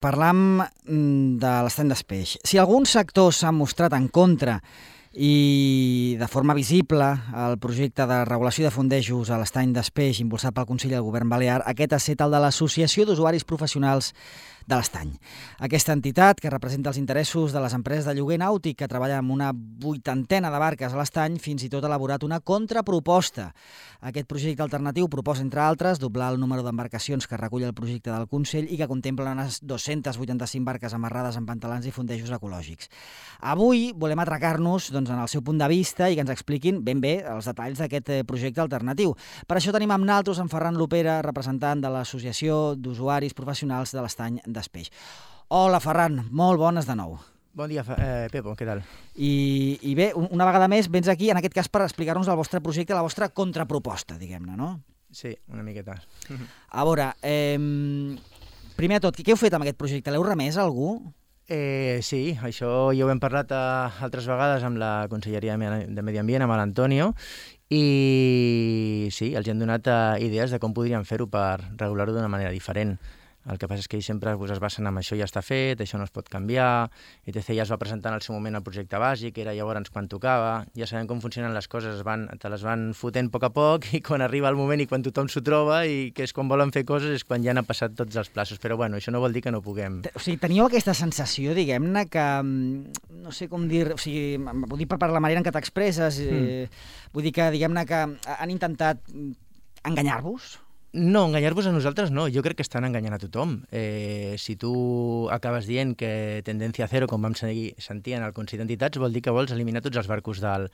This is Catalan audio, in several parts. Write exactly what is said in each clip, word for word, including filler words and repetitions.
Parlam de l'estany d'Espeix. Si alguns sectors s'han mostrat en contra i de forma visible el projecte de regulació de fondejos a l'estany d'Espeix impulsat pel Consell del Govern Balear, aquest ha estat el de l'Associació d'Usuaris Professionals de l'Estany. Aquesta entitat, que representa els interessos de les empreses de lloguer nàutic que treballen amb una vuitantena de barques a l'estany, fins i tot ha elaborat una contraproposta. Aquest projecte alternatiu proposa, entre altres, doblar el número d'embarcacions que recull el projecte del Consell i que contempla unes dos-centes vuitanta-cinc barques amarrades amb pantalans i fondejos ecològics. Avui volem atracar-nos doncs, en el seu punt de vista i que ens expliquin ben bé els detalls d'aquest projecte alternatiu. Per això tenim amb nosaltres en Ferran Lopera, representant de l'Associació d'Usuaris Professionals de l'Estany d'Espeix. Hola, Ferran, molt bones de nou. Bon dia, eh, Pepo, què tal? I, I bé, una vegada més, vens aquí, en aquest cas, per explicar-nos el vostre projecte, la vostra contraproposta, diguem-ne, no? Sí, una miqueta. A veure, eh, primer de tot, què heu fet amb aquest projecte? L'heu remès a algú? Eh, sí, això ja ho hem parlat eh, altres vegades amb la Conselleria de Medi Ambient, amb l'Antonio, i sí, els hem donat eh, idees de com podríem fer-ho per regular-ho d'una manera diferent. El que passa és que ells sempre pues, es basen en això ja està fet, això no es pot canviar, et cetera. Ja es va presentar en el seu moment el projecte bàsic, era llavors quan tocava, ja sabem com funcionen les coses, es van, te les van fotent a poc a poc i quan arriba el moment i quan tothom s'ho troba i que és quan volen fer coses és quan ja han passat tots els plaços, però bueno, això no vol dir que no puguem. O sigui, teníeu aquesta sensació, diguem-ne, que no sé com dir, o sigui, vull dir per la manera en què t'expresses, eh, mm. vull dir que, diguem-ne, que han intentat enganyar-vos? No, enganyar-vos a nosaltres no, jo crec que estan enganyant a tothom. Eh, si tu acabes dient que tendència zero, com vam seguir, sentir en el Consell d'Entitats, vol dir que vols eliminar tots els barcos del,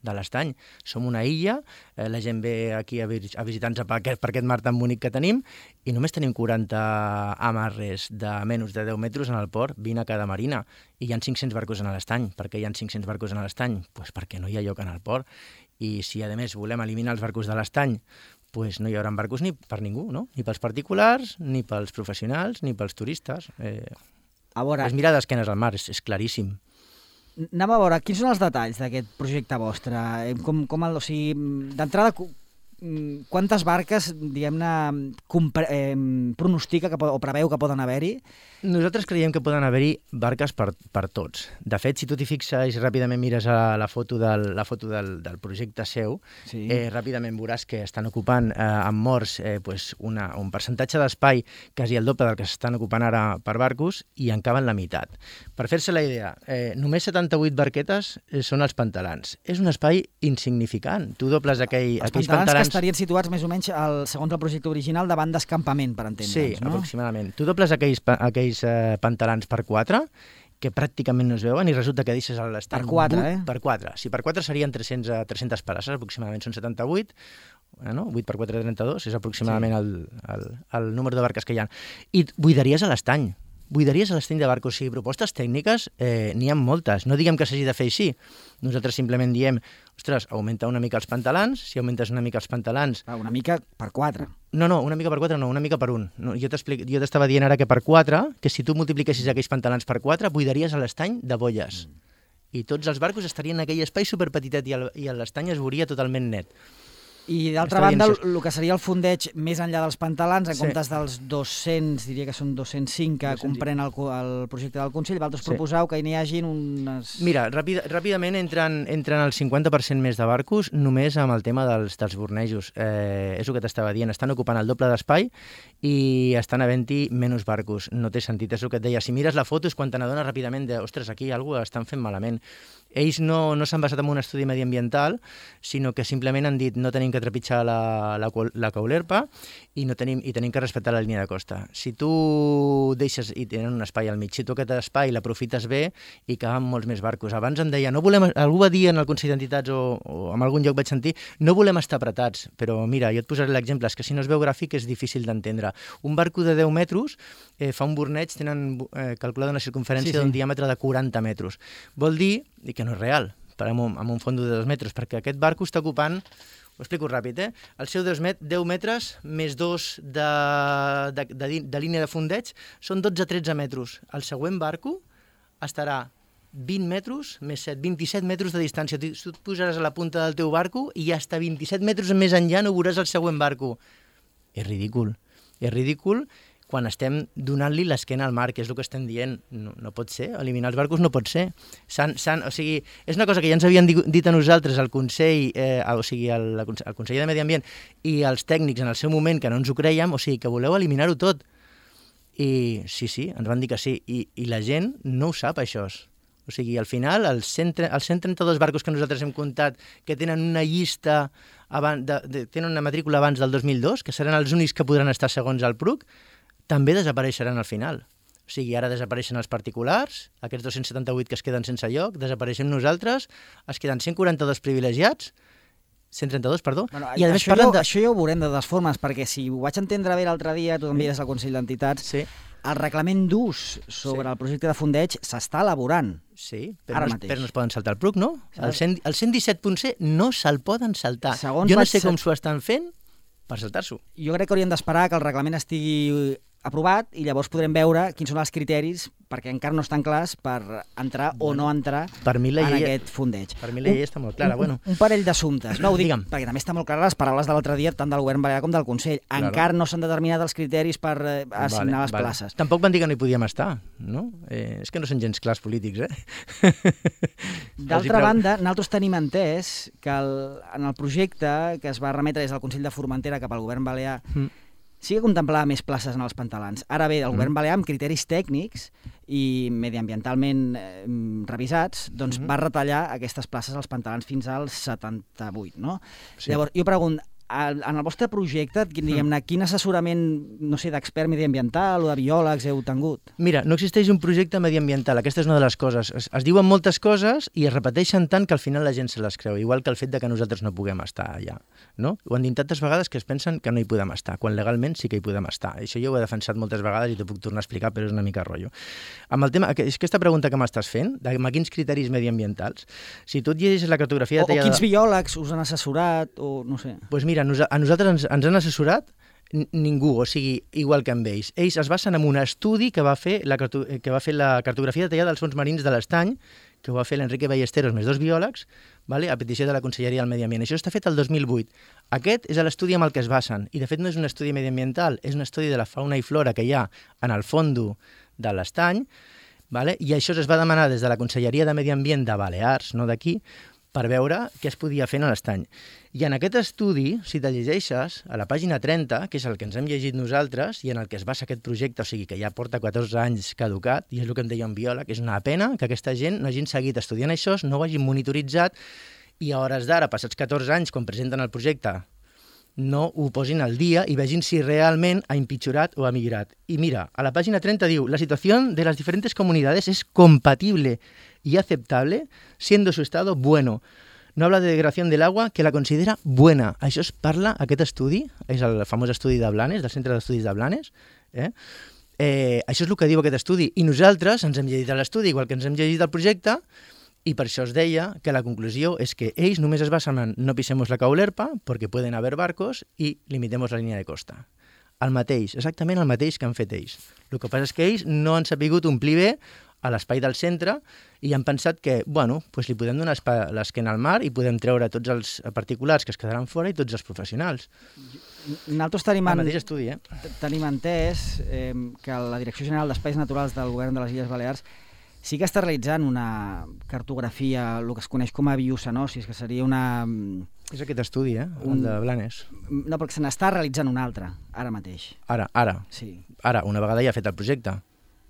de l'estany. Som una illa, eh, la gent ve aquí a, a visitar-nos per aquest, per aquest mar tan bonic que tenim i només tenim quaranta amarres de menys de deu metres en el port, vint a cada marina, i hi ha cinc-cents barcos en l'estany. Per què hi ha cinc-cents barcos en l'estany? Pues perquè no hi ha lloc en el port. I si, a més, volem eliminar els barcos de l'estany, pues no hi haurà barcos ni per ningú, no? Ni pels particulars, ni pels professionals, ni pels turistes. Eh, a veure, és mirar d'esquenes al mar, és, és claríssim. Anem a veure, quins són els detalls d'aquest projecte vostre? Com, com el, o sigui, d'entrada, quantes barques, diguem-ne, eh, pronostica que, o preveu que poden haver-hi? Nosaltres creiem que poden haver-hi barques per, per tots. De fet, si tu t'hi fixes i ràpidament mires a la foto del, la foto del, del projecte seu, sí. eh, ràpidament veuràs que estan ocupant eh, amb morts eh, pues una, un percentatge d'espai quasi el doble del que s'estan ocupant ara per barcos i en caben la meitat. Per fer-se la idea, eh, només setanta-vuit barquetes eh, són els pantalans. És un espai insignificant. Tu dobles aquell, els aquells pantalans... pantalans... que estarien situats més o menys, el, segons el projecte original, davant d'escampament, per entendre'ns, sí, no? Aproximadament. Tu dobles aquells, aquells eh, pantalans per quatre, que pràcticament no es veuen, i resulta que deixes a l'estany... Per quatre, eh? Per quatre. Si per quatre serien tres-cents, tres-centes parasses, aproximadament són setanta-vuit, no? vuit per quatre, trenta-dos, és aproximadament sí. el, el, el número de barques que hi ha. I buidaries a l'estany. Buidaries a l'estany de barcos. O sigui, propostes tècniques eh, n'hi ha moltes. No diguem que s'hagi de fer així. Nosaltres simplement diem, ostres, augmenta una mica els pantalans, si augmentes una mica els pantalans... Ah, una mica per quatre. No, no, una mica per quatre no, una mica per un. No, jo t'estava dient ara que per quatre, que si tu multipliquessis aquells pantalans per quatre, buidaries a l'estany de bolles. Mm. I tots els barcos estarien en aquell espai superpetitet i, el, i l'estany es veuria totalment net. I d'altra banda, el que seria el fondeig més enllà dels pantalans, en sí. comptes dels dos-cents, diria que són dos-cents cinc que dos-cents comprèn el, el projecte del Consell, vosaltres sí. proposeu que n'hi hagin unes... Mira, ràpid, ràpidament entren, entren el cinquanta per cent més de barcos només amb el tema dels, dels bornejos. Eh, és el que t'estava dient, estan ocupant el doble d'espai i estan havent-hi menys barcos. No té sentit, és el que et deia. Si mires la foto és quan te n'adones ràpidament de, ostres, aquí alguna cosa estan fent malament. Ells no, no s'han basat en un estudi mediambiental, sinó que simplement han dit no tenim que trepitjar la, la, la caulerpa i, no tenim, i tenim que respectar la línia de costa. Si tu deixes, i tenen un espai al mig, si tu aquest espai l'aprofites bé i caben molts més barcos. Abans em deia, no volem, algú va dir en el Consell d'Entitats o, o en algun lloc vaig sentir, no volem estar apretats, però mira, jo et posaré l'exemple, és que si no es veu gràfic és difícil d'entendre. Un barco de deu metres eh, fa un borneig, tenen eh, calculada una circunferència sí, sí. d'un diàmetre de quaranta metres. Vol dir i que no és real, per amb un, amb un fondo de dos metres, perquè aquest barco està ocupant, ho explico ràpid, eh? El seu deu metres més dos de, de, de, de línia de fondeig són dotze a tretze metres. El següent barco estarà vint metres més set, vint-i-set metres de distància. Tu et posaràs a la punta del teu barco i hasta vint-i-set metres més enllà no veuràs el següent barco. És ridícul. És ridícul quan estem donant-li l'esquena al mar, que és el que estem dient. No, no pot ser, eliminar els barcos no pot ser. S'han, s'han, o sigui, és una cosa que ja ens havien dit a nosaltres, al Consell, eh, o sigui, al, al Consell de Medi Ambient i els tècnics en el seu moment, que no ens ho creiem, o sigui, que voleu eliminar-ho tot. I sí, sí, ens van dir que sí, i, i la gent no ho sap, això. O sigui, al final, els cent, els cent trenta-dos barcos que nosaltres hem comptat, que tenen una llista, abans de, de, tenen una matrícula abans del dos mil dos, que seran els únics que podran estar segons el P R U C, també desapareixeran al final. O sigui, ara desapareixen els particulars, aquests dos-cents setanta-vuit que es queden sense lloc, desapareixem nosaltres, es queden cent quaranta-dos privilegiats, cent trenta-dos, perdó. Bueno, i a més, això, jo, de... això ja ho veurem de totes formes, perquè si ho vaig entendre bé l'altre dia, tu també eres al Consell d'Entitats, sí. El reglament d'ús sobre sí. el projecte de fondeig s'està elaborant. Sí, però no, però no es poden saltar el P R U C, no? El, cent, el cent disset punt c no se'l poden saltar. Segons jo no sé com s'ho estan fent per saltar-s'ho. Jo crec que hauríem d'esperar que el reglament estigui aprovat i llavors podrem veure quins són els criteris, perquè encara no estan clars, per entrar bueno, o no entrar per mi la en llei, aquest fondeig. Per mi la llei està molt clara. Un, bueno. un parell d'assumptes. No, ho dic Digue'm. Perquè també està molt clara les paraules de l'altre dia, tant del govern balear com del Consell. Claro. Encara no s'han determinat els criteris per eh, assignar vale, les vale. places. Tampoc van dir que no hi podíem estar, no? Eh, és que no són gens clars polítics, eh? D'altra banda, nosaltres tenim entès que el, en el projecte que es va remetre des del Consell de Formentera cap al govern balear mm. sí que contemplava més places en els pantalans. Ara bé, el mm. govern balear, amb criteris tècnics i mediambientalment eh, revisats, doncs mm. va retallar aquestes places als pantalans fins als setanta-vuit, no? Sí. Llavors, jo pregunto, en el vostre projecte, diguem-ne, quin assessorament, no sé, d'expert mediambiental o de biòlegs heu tingut? Mira, no existeix un projecte mediambiental, aquesta és una de les coses. Es, es diuen moltes coses i es repeteixen tant que al final la gent se les creu, igual que el fet de que nosaltres no puguem estar allà, no? Ho han dit tantes vegades que es pensen que no hi podem estar, quan legalment sí que hi podem estar. Això jo ho he defensat moltes vegades i t'ho puc tornar a explicar, però és una mica rotllo. Amb el tema, és aquesta pregunta que m'estàs fent, de quins criteris mediambientals, si tu et llegeixes la cartografia... O, o quins biòlegs us han assessorat, o no sé... Doncs pues mira, a nosaltres ens, ens han assessorat ningú, o sigui, igual que amb ells. Ells es basen en un estudi que va fer la, que va fer la cartografia detallada dels fons marins de l'Estany, que ho va fer l'Enrique Ballesteros, més dos biòlegs, vale, a petició de la Conselleria del Medi Ambient. Això està fet el dos mil vuit. Aquest és l'estudi amb el que es basen, i de fet no és un estudi mediambiental, és un estudi de la fauna i flora que hi ha en el fondo de l'Estany, vale? I això es va demanar des de la Conselleria de Medi Ambient de Balears, no d'aquí, per veure què es podia fer en l'estany. I en aquest estudi, si te llegeixes, a la pàgina trenta, que és el que ens hem llegit nosaltres i en el que es basa aquest projecte, o sigui que ja porta catorze anys caducat, i és el que em deia un biòleg, és una pena que aquesta gent no hagin seguit estudiant això, no ho hagin monitoritzat, i a hores d'ara, passats catorze anys, quan presenten el projecte, no ho posin al dia i vegin si realment ha empitjorat o ha millorat. I mira, a la pàgina trenta diu, la situació de les diferents comunitats és compatible y aceptable, siendo su estado bueno. No habla de degradación del agua, que la considera buena. Això es parla, aquest estudi, és el famós estudi de Blanes, del Centre d'Estudis de Blanes, eh? Eh, això és el que diu aquest estudi. I nosaltres ens hem llegit l'estudi, igual que ens hem llegit el projecte, i per això es deia que la conclusió és que ells només es basen en no pisemos la caulerpa, perquè poden haver barcos, i limitemos la línia de costa. El mateix, exactament el mateix que han fet ells. El que passa és que ells no han sabut omplir bé a l'espai del centre i han pensat que, bueno, doncs li podem donar l'esquena al mar i podem treure tots els particulars que es quedaran fora i tots els professionals. Nosaltres tenim, el mateix estudi, eh? tenim entès eh, que la Direcció General d'Espais Naturals del Govern de les Illes Balears sí que està realitzant una cartografia, el que es coneix com a biocenosis, que seria una... És aquest estudi, eh? Un... El de Blanes. No, perquè se n'està realitzant un altre, ara mateix. Ara, ara. Sí. Ara, una vegada ja ha fet el projecte.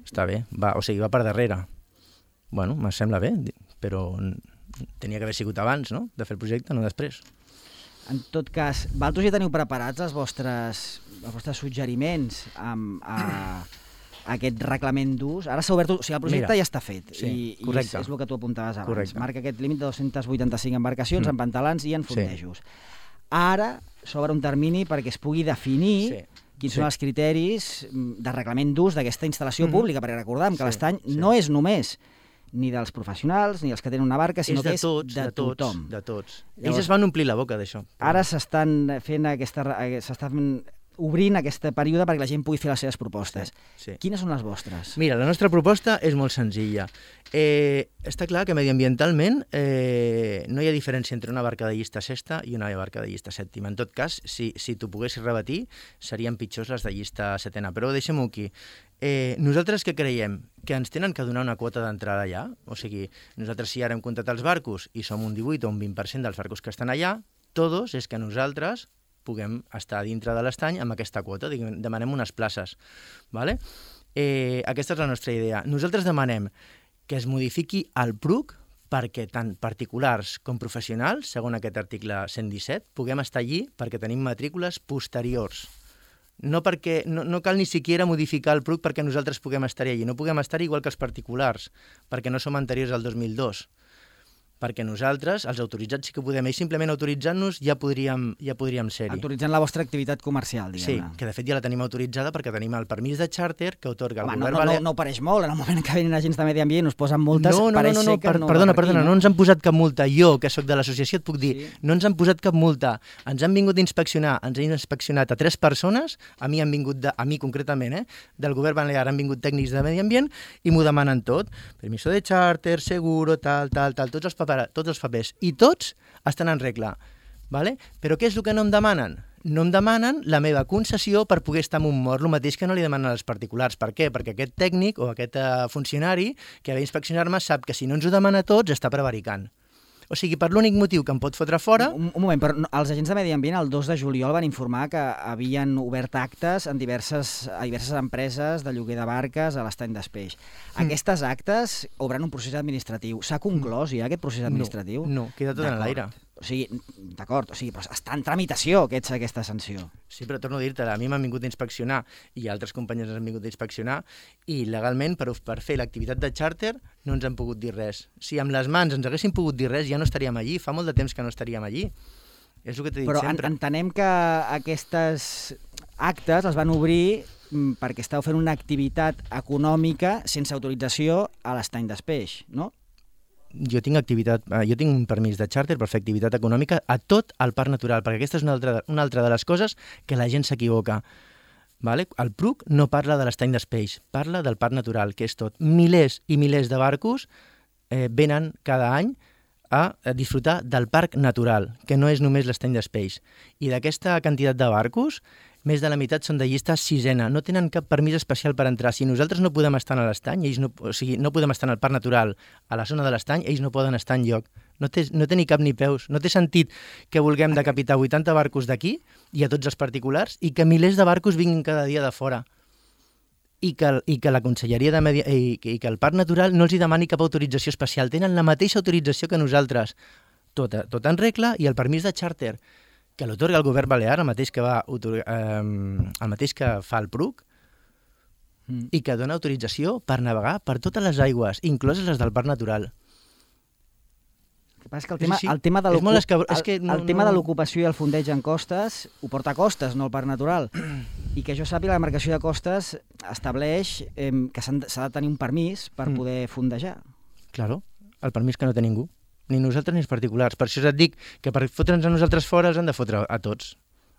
Està bé, va, o sigui, va per darrere. Bueno, me sembla bé, però tenia que haver sigut abans, no?, de fer el projecte, no després. En tot cas, vosaltres ja teniu preparats els vostres, els vostres suggeriments amb, a, a aquest reglament d'ús? Ara s'ha obert, o sigui, el projecte Mira, ja està fet, sí, i, i és, és el que tu apuntaves abans. Correcte. Marca aquest límit de dos-cents vuitanta-cinc embarcacions mm. en pantalans i en fondejos. Sí. Ara s'obre un termini perquè es pugui definir sí. quins sí. són els criteris de reglament d'ús d'aquesta instal·lació mm-hmm. pública, perquè recordem que sí, l'estany sí. no és només ni dels professionals, ni els que tenen una barca, sinó és que és tots, de, de tothom. Tots, de tots. Llavors, ells es van omplir la boca d'això. Ara s'estan fent aquesta, s'està fent obrint aquest període perquè la gent pugui fer les seves propostes. Sí, sí. Quines són les vostres? Mira, la nostra proposta és molt senzilla. Eh, està clar que mediambientalment eh, no hi ha diferència entre una barca de llista sexta i una barca de llista sèptima. En tot cas, si, si t'ho poguessis rebatir, serien pitjors les de llista setena. Però deixem-ho aquí. Eh, nosaltres què creiem? Que ens tenen que donar una quota d'entrada allà? O sigui, nosaltres si ara hem comptat els barcos i som un divuit o un vint per cent dels barcos que estan allà, tots és que nosaltres puguem estar dintre de l'estany amb aquesta quota, demanem unes places. Vale? Eh, aquesta és la nostra idea. Nosaltres demanem que es modifiqui el P R U C perquè tant particulars com professionals, segons aquest article cent disset, puguem estar allí perquè tenim matrícules posteriors. No, perquè, no, no cal ni siquiera modificar el P R U C perquè nosaltres puguem estar allí. No puguem estar igual que els particulars, perquè no som anteriors al dos mil dos. Perquè nosaltres, els autoritzats, sí que podem. Ells simplement autoritzant-nos ja podríem, ja podríem ser-hi. Autoritzant la vostra activitat comercial, diguem-ne. Sí, que de fet ja la tenim autoritzada perquè tenim el permís de xàrter que atorga el Home, govern no, no, balear. no, no pareix molt. En el moment que venen agents de medi ambient us posen multes, no, no, pareix no, no, ser que per, no perdona, va per aquí, perdona, no? no ens han posat cap multa. Jo, que sóc de l'associació, et puc dir, Sí. no ens han posat cap multa. Ens han vingut a inspeccionar, ens han inspeccionat a tres persones, a mi han vingut, de, a mi concretament, eh, del govern balear han vingut tècnics de medi ambient i m'ho demanen tot. Permiso de xàrter, seguro, tal, tal, tal, tots els, papera, tots els papers. I tots estan en regla. Vale? Però què és el que no em demanen? No em demanen la meva concessió per poder estar en un mort, el mateix que no li demanen als particulars. Per què? Perquè aquest tècnic o aquest uh, funcionari que ve a inspeccionar-me sap que si no ens ho demana a tots està prevaricant. O sigui, per l'únic motiu que em pot fotre fora... Un, un moment, però no, els agents de medi ambient el dos de juliol van informar que havien obert actes en diverses, a diverses empreses de lloguer de barques a l'estany d'Espeix. Mm. Aquestes actes obren un procés administratiu. S'ha conclòs ja aquest procés administratiu? No, no, queda tot en l'aire. O sigui, d'acord, o sigui, però està en tramitació aquest, aquesta sanció. Sí, però torno a dir-te, a mi m'han vingut a inspeccionar i altres companys ens han vingut a inspeccionar i legalment per, per fer l'activitat de xàrter no ens han pogut dir res. Si amb les mans ens haguessin pogut dir res ja no estaríem allí, fa molt de temps que no estaríem allí. És el que t'he dit però sempre. Però entenem que aquestes actes els van obrir perquè esteu fent una activitat econòmica sense autorització a l'estany d'Espeix, no? Jo tinc activitat, jo tinc un permís de xàrter per fer activitat econòmica a tot el parc natural, perquè aquesta és una altra, una altra de les coses que la gent s'equivoca. Vale? El P R U C no parla de l'estany d'Espeix, parla del parc natural, que és tot. Milers i milers de barcos eh, venen cada any a disfrutar del parc natural, que no és només l'estany d'Espeix. I d'aquesta quantitat de barcos, més de la meitat són de llista sisena, no tenen cap permís especial per entrar. Si nosaltres no podem estar a l'estany, ells no, o sigui, no podem estar al parc natural, a la zona de l'estany, ells no poden estar enlloc. No té, no té ni cap ni peus. No té sentit que vulguem decapitar vuitanta barcos d'aquí i a tots els particulars i que milers de barcos vinguin cada dia de fora. I que, i que la Conselleria de Medi... I, i que el Parc Natural no els hi demani cap autorització especial. Tenen la mateixa autorització que nosaltres. Tot, tot en regla i el permís de xàrter que l'otorga el govern balear, el mateix que, va, eh, el mateix que fa el P R U C, mm. i que dona autorització per navegar per totes les aigües, incloses les del Parc Natural. El que passa és que el tema, sí, sí. el tema de l'ocupació no, i el fondeig en costes ho porta a costes, no al Parc Natural. I que jo sàpiga, la demarcació de costes estableix eh, que s'ha de tenir un permís per mm. poder fondejar. Claro, el permís que no té ningú. Ni nosaltres ni els particulars. Per això et dic que per fotre'ns a nosaltres fora els han de fotre a tots.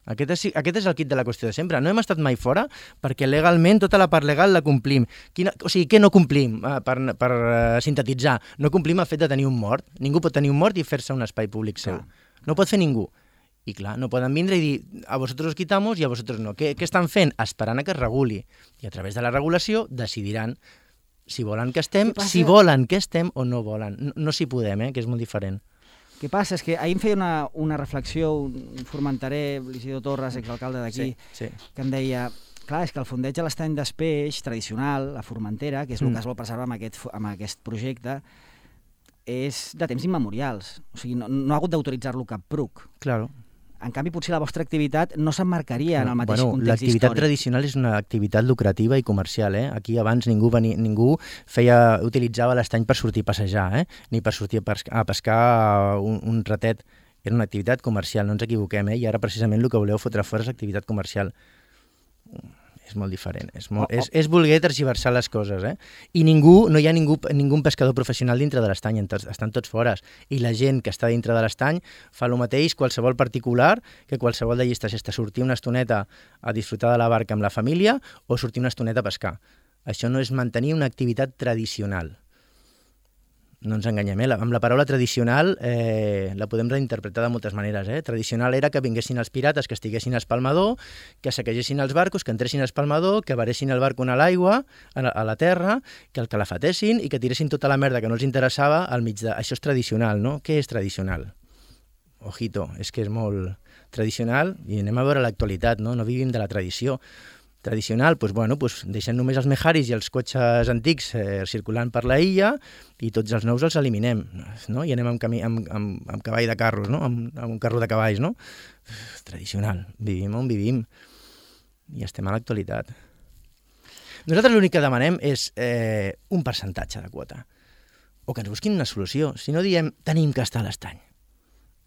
Aquest és, aquest és el kit de la qüestió de sempre. No hem estat mai fora perquè legalment tota la part legal la complim. Quina, o sigui, què no complim? Uh, per per uh, sintetitzar, no complim el fet de tenir un mort. Ningú pot tenir un mort i fer-se un espai públic seu. Ah. No pot fer ningú. I clar, no poden vindre i dir a vosaltres os quitamos i a vosaltres no. Què, què estan fent? Esperant a que es reguli. I a través de la regulació decidiran si volen que estem, si volen que estem o no volen. No, no s'hi podem, eh, que és molt diferent. El que passa és que ahir em feia una, una reflexió un formenterer, l'Isidor Torres, exalcalde d'aquí, sí, sí. que em deia, clar, és que el fondeig a l'estany d'Espeix tradicional, la Formentera, que és el mm. que es vol preservar amb aquest, amb aquest projecte, és de temps immemorials. O sigui, no, no ha hagut d'autoritzar-lo cap P R U C. Claro. En canvi, potser la vostra activitat no s'emmarcaria en el mateix bueno, context l'activitat històric. tradicional és una activitat lucrativa i comercial. Eh? Aquí abans ningú, venia, ningú feia, utilitzava l'estany per sortir a passejar, eh? ni per sortir a pescar, a pescar un, un ratet. Era una activitat comercial, no ens equivoquem. Eh? I ara precisament el que voleu fotre fora és l'activitat comercial. és molt diferent. És, molt, oh, oh. és, és voler tergiversar les coses, eh? I ningú, no hi ha ningú, ningú pescador professional dintre de l'estany, estan tots fora. I la gent que està dintre de l'estany fa el mateix qualsevol particular que qualsevol de llistes, és sortir una estoneta a disfrutar de la barca amb la família o sortir una estoneta a pescar. Això no és mantenir una activitat tradicional. No ens enganyem, eh? Amb la paraula tradicional eh, la podem reinterpretar de moltes maneres. Eh? Tradicional era que vinguessin els pirates, que estiguessin a espalmador, que saquegessin els barcos, que entressin a espalmador, que varessin el barco a l'aigua, a la terra, que el calafatessin i que tiressin tota la merda que no els interessava al mig de... Això és tradicional, no? Què és tradicional? Ojito, és que és molt tradicional i anem a veure l'actualitat, no? No vivim de la tradició. Tradicional, doncs, bueno, doncs deixem només els mejaris i els cotxes antics eh, circulant per la illa i tots els nous els eliminem, no? I anem amb, camí, amb, amb, amb cavall de carros, no? Amb, amb un carro de cavalls, no? Tradicional, vivim on vivim i estem a l'actualitat. Nosaltres l'únic que demanem és eh, un percentatge de quota o que ens busquin una solució. Si no diem tenim que estar a l'estany.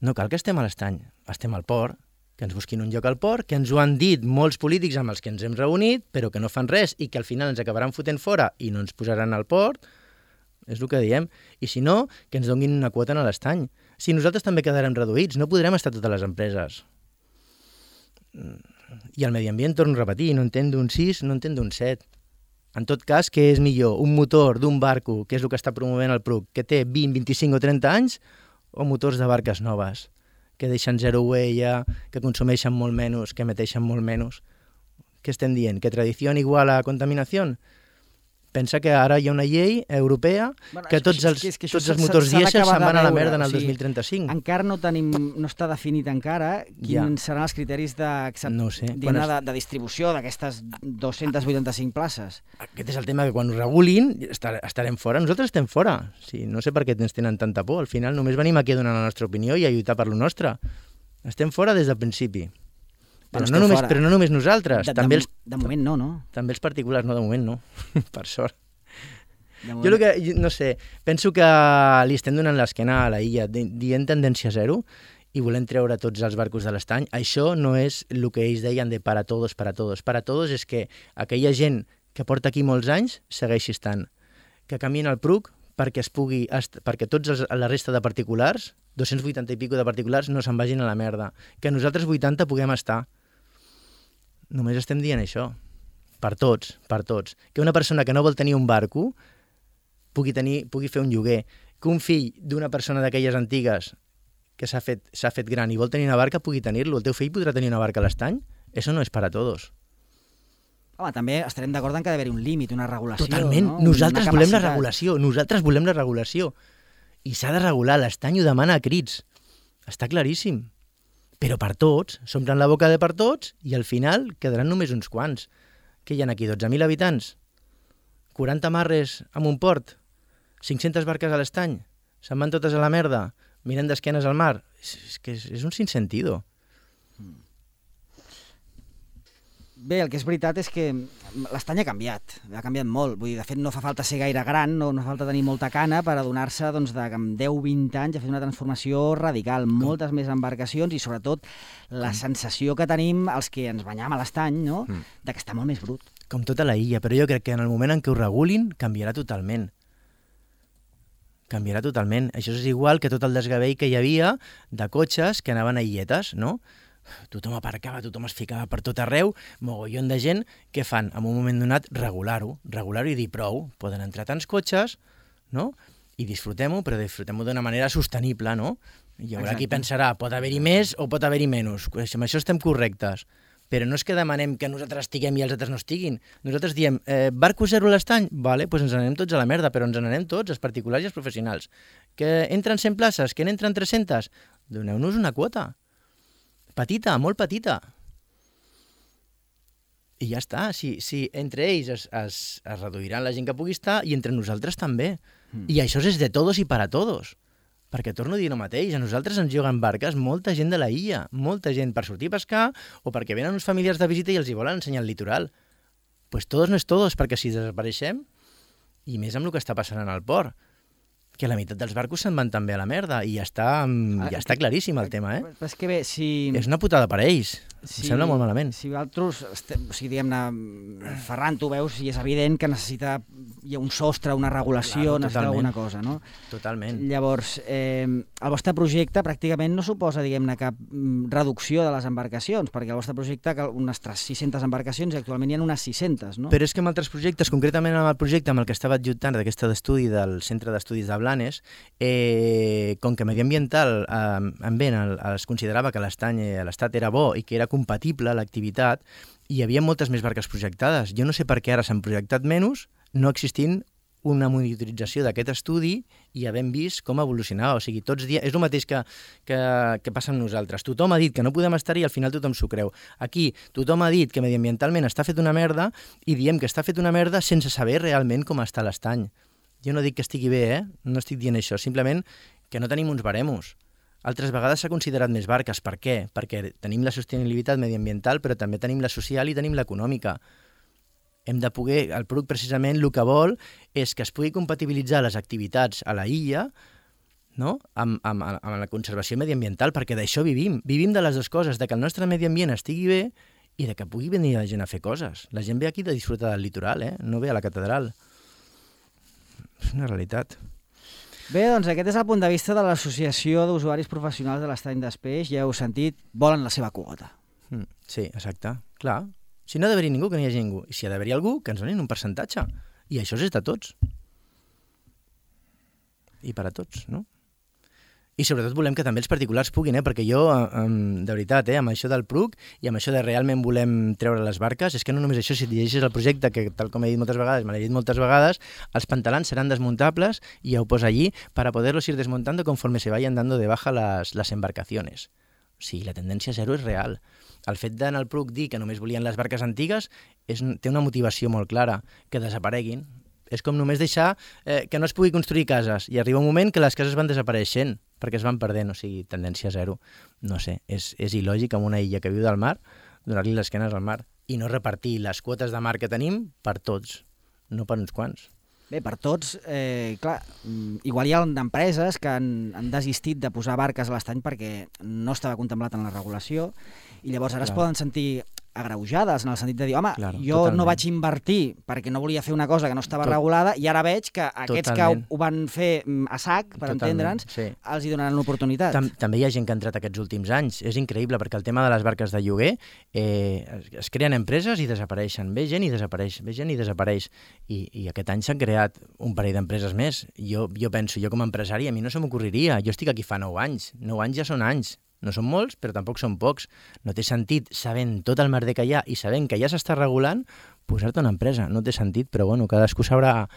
No cal que estem a l'estany, estem al port, que ens busquin un lloc al port, que ens ho han dit molts polítics amb els que ens hem reunit, però que no fan res i que al final ens acabaran fotent fora i no ens posaran al port, és el que diem. I si no, que ens donguin una quota en l'estany. Si nosaltres també quedarem reduïts, no podrem estar totes les empreses. I el medi ambient, torno a repetir, no entén d'un sis, no entén d'un set. En tot cas, què és millor? Un motor d'un barco, que és el que està promovent el P R U C, que té vint, vint-i-cinc o trenta anys, o motors de barques noves? Que deixen zero huella, que consumeixen molt menys, que emeteixen molt menys. Què estem dient? Que tradició igual a contaminació? Pensa que ara hi ha una llei europea bueno, que tots els, que, que tots els motors dièsel se'n van a la merda en el o sigui, dos mil trenta-cinc. Encara no tenim, no està definit encara quins ja. seran els criteris de, no sé. Quan es... de, de distribució d'aquestes dos-centes vuitanta-cinc places. Aquest és el tema, que quan ho regulin estar, estarem fora. Nosaltres estem fora. Sí, no sé per què ens tenen tanta por. Al final només venim aquí a donar la nostra opinió i a lluitar per lo nostre. Estem fora des del principi. Però, no només, però no només nosaltres. De, també de, els, de moment no, no? També els particulars, no, de moment no. Per sort. Jo el que, no sé, penso que li estem donant l'esquena a la illa, dient tendència zero, i volem treure tots els barcos de l'estany. Això no és el que ells deien de para todos, para todos. Para todos és que aquella gent que porta aquí molts anys segueixi estant. Que camina al P R U C perquè es pugui, perquè tots els, la resta de particulars, dos-cents vuitanta i pico de particulars, no se'n vagin a la merda. Que nosaltres vuitanta puguem estar. Només estem dient això. Per tots, per tots. Que una persona que no vol tenir un barco pugui, tenir, pugui fer un lloguer. Que un fill d'una persona d'aquelles antigues que s'ha fet, s'ha fet gran i vol tenir una barca pugui tenir-lo. El teu fill podrà tenir una barca a l'estany? Eso no és para todos. Home, també estarem d'acord en que ha d'haver-hi un límit, una regulació. Totalment. No? Nosaltres volem la regulació. Nosaltres volem la regulació. I s'ha de regular. L'estany ho demana a crits. Està claríssim. Però per tots, s'omplen la boca de per tots i al final quedaran només uns quants. Què hi ha aquí? dotze mil habitants? quaranta marres en un port? cinc-centes barques a l'estany? Se'n van totes a la merda? Mirem d'esquenes al mar? És, és que és, és un sinsentido. Bé, el que és veritat és que l'estany ha canviat, ha canviat molt. Vull dir, de fet, no fa falta ser gaire gran, no, no fa falta tenir molta cana per adonar-se doncs, de que amb deu vint anys ha fet una transformació radical, moltes més embarcacions i, sobretot, la sensació que tenim els que ens banyam a l'estany, no?, mm. de que està molt més brut. Com tota la illa, però jo crec que en el moment en què ho regulin canviarà totalment. Canviarà totalment. Això és igual que tot el desgavell que hi havia de cotxes que anaven a illetes, no? Tothom aparcava, tothom es ficava per tot arreu, mogollon de gent, què fan? En un moment donat, regular-ho, regular-ho i dir prou. Poden entrar tants cotxes, no?, i disfrutem-ho, però disfrutem-ho d'una manera sostenible, no? Hi haurà Exacte. Qui pensarà, pot haver-hi més o pot haver-hi menys. Amb això estem correctes. Però no és que demanem que nosaltres estiguem i els altres no estiguin. Nosaltres diem, eh, barco zero a l'estany? Vale, doncs ens n'anem tots a la merda, però ens n'anem tots, els particulars i els professionals. Que entren cent places, que n'entren tres-centes? Doneu-nos una quota. Petita, molt petita. I ja està. Si, si entre ells es, es, es reduiran la gent que pugui estar i entre nosaltres també. Mm. I això és de todos i para todos. Perquè torno a dir el mateix, a nosaltres ens juguen barques molta gent de la illa, molta gent per sortir a pescar o perquè venen uns familiars de visita i els hi volen ensenyar el litoral. Pues todos no és todos, perquè si desapareixem, i més amb el que està passant en el port, que la meitat dels barcos se'n van també a la merda i ja està, ja està claríssim el tema, eh? Però és que bé, si... És una putada per ells. Si, em sembla molt malament. Si vosaltres, o sigui, diguem-ne, Ferran, tu veus i és evident que necessita hi ha un sostre, una regulació, claro, necessita alguna cosa, no? Totalment. Llavors, eh, el vostre projecte pràcticament no suposa, diguem-ne, cap reducció de les embarcacions, perquè el vostre projecte ha unes sis-centes embarcacions i actualment hi ha unes sis-centes, no? Però és que en altres projectes, concretament en el projecte amb el que estava adjuntant d'aquest estudi del Centre d'Estudis de Blanes, eh, com que mediambiental eh, en Ben es considerava que l'estany a l'estat era bo i que era compatible l'activitat, hi havia moltes més barques projectades. Jo no sé per què ara s'han projectat menys, no existint una monitorització d'aquest estudi i havent vist com evolucionava. O sigui, tots dies... És el mateix que, que, que passa amb nosaltres. Tothom ha dit que no podem estar-hi i al final tothom s'ho creu. Aquí tothom ha dit que mediambientalment està fet una merda i diem que està fet una merda sense saber realment com està l'estany. Jo no dic que estigui bé, eh? No estic dient això. Simplement que no tenim uns baremos. Altres vegades s'ha considerat més barques. Per què? Perquè tenim la sostenibilitat mediambiental, però també tenim la social i tenim l'econòmica. Hem de poder, el P R U C precisament el que vol és que es pugui compatibilitzar les activitats a la illa, no? amb, amb, amb la conservació mediambiental, perquè d'això vivim. Vivim de les dues coses, de que el nostre medi ambient estigui bé i de que pugui venir la gent a fer coses. La gent ve aquí de disfrutar del litoral, eh? No ve a la catedral. És una realitat. Bé, doncs aquest és el punt de vista de l'Associació d'Usuaris Professionals de l'Estany d'Espeix. Ja heu sentit, volen la seva quota. Mm, sí, exacte. Clar. Si no ha d'haver-hi ningú, que no hi hagi ningú. I si ha d'haver-hi algú, que ens donin un percentatge. I això és de tots. I per a tots, no? I sobretot volem que també els particulars puguin, eh? Perquè jo, de veritat, eh? amb això del P R U C i amb això de realment volem treure les barques, és que no només això, si llegeixes el projecte, que tal com he dit moltes vegades, me l'he dit moltes vegades, els pantalans seran desmuntables i ja ho posa allí para poderlos ir desmontando conforme se vayan dando de baja las, las embarcaciones. O sigui, la tendència zero és real. El fet d'anar al P R U C dir que només volien les barques antigues és, té una motivació molt clara, que desapareguin. És com només deixar eh, que no es pugui construir cases i arriba un moment que les cases van desapareixent perquè es van perdent, o sigui, tendència zero. No sé, és, és il·lògic amb una illa que viu del mar donar-li les esquenes al mar i no repartir les quotes de mar que tenim per tots, no per uns quants. Bé, per tots, eh, clar, igual hi ha empreses que han, han desistit de posar barques a l'estany perquè no estava contemplat en la regulació i llavors ara clar. Es poden sentir agreujades en el sentit de dir, home, claro, jo totalment. No vaig invertir perquè no volia fer una cosa que no estava Tot... regulada i ara veig que aquests totalment. Que ho van fer a sac, per totalment, entendre'ns, sí. Els hi donaran l'oportunitat. Tam també hi ha gent que ha entrat aquests últims anys. És increïble perquè el tema de les barques de lloguer eh, es, es creen empreses i desapareixen. Ve gent i desapareix, ve gent i desapareix. I, i aquest any s'han creat un parell d'empreses més. Jo, jo penso, jo com a empresari, a mi no se m'ocorreria. Jo estic aquí fa nou anys. Nou anys ja són anys. No són molts, però tampoc són pocs. No té sentit, sabent tot el merder que hi ha i sabent que ja s'està regulant, posar-te una empresa. No té sentit, però bueno, cadascú sabrà...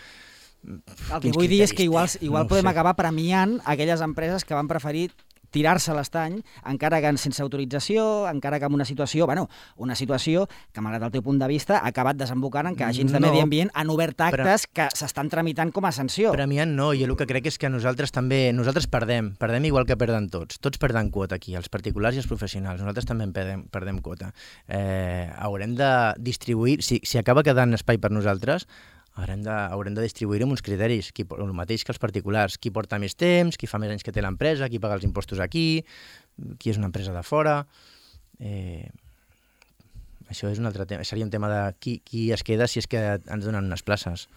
El que vull dir és que igual, igual no podem acabar premiant aquelles empreses que van preferir tirar-se a l'estany, encara que sense autorització, encara que en una situació, bueno, una situació que, malgrat el teu punt de vista, ha acabat desembocant en que agents de no, medi ambient han obert actes però, que s'estan tramitant com a sanció. Premiant no, jo el que crec és que nosaltres també, nosaltres perdem, perdem igual que perden tots, tots perden quota aquí, els particulars i els professionals, nosaltres també perdem, perdem quota. Eh, haurem de distribuir, si, si acaba quedant espai per nosaltres, haurem de, haurem de distribuir-ho amb uns criteris, qui, el mateix que els particulars, qui porta més temps, qui fa més anys que té l'empresa, qui paga els impostos aquí, qui és una empresa de fora... Eh, això és un altre tema, seria un tema de qui, qui es queda si és que ens donen unes places.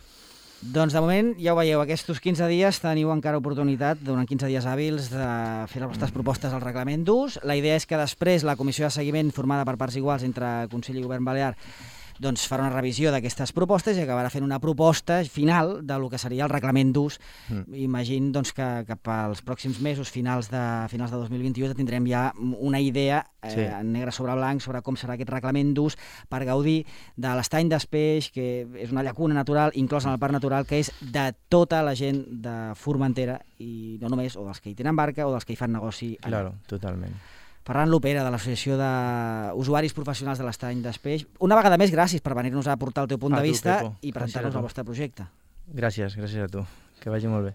Doncs de moment, ja ho veieu, aquests quinze dies teniu encara oportunitat, durant quinze dies hàbils, de fer les vostres propostes al reglament d'ús. La idea és que després la comissió de seguiment, formada per parts iguals entre Consell i Govern Balear, doncs farà una revisió d'aquestes propostes i acabarà fent una proposta final del que seria el reglament d'ús. Mm. Imagino doncs, que cap als pròxims mesos, finals de, finals de dos mil vint-i-u, tindrem ja una idea eh, sí. negre sobre blanc sobre com serà aquest reglament d'ús per gaudir de l'estany d'Espeix, que és una llacuna natural inclosa en el parc natural, que és de tota la gent de Formentera i no només, o dels que hi tenen barca o dels que hi fan negoci allà. Claro, totalment. Ferran Lopera, de l'Associació d'Usuaris Professionals de l'Estany d'Espeix. Una vegada més, gràcies per venir-nos a aportar el teu punt a de tu, vista Pepo. I presentar-nos el vostre projecte. Gràcies, gràcies a tu. Que vagi molt bé.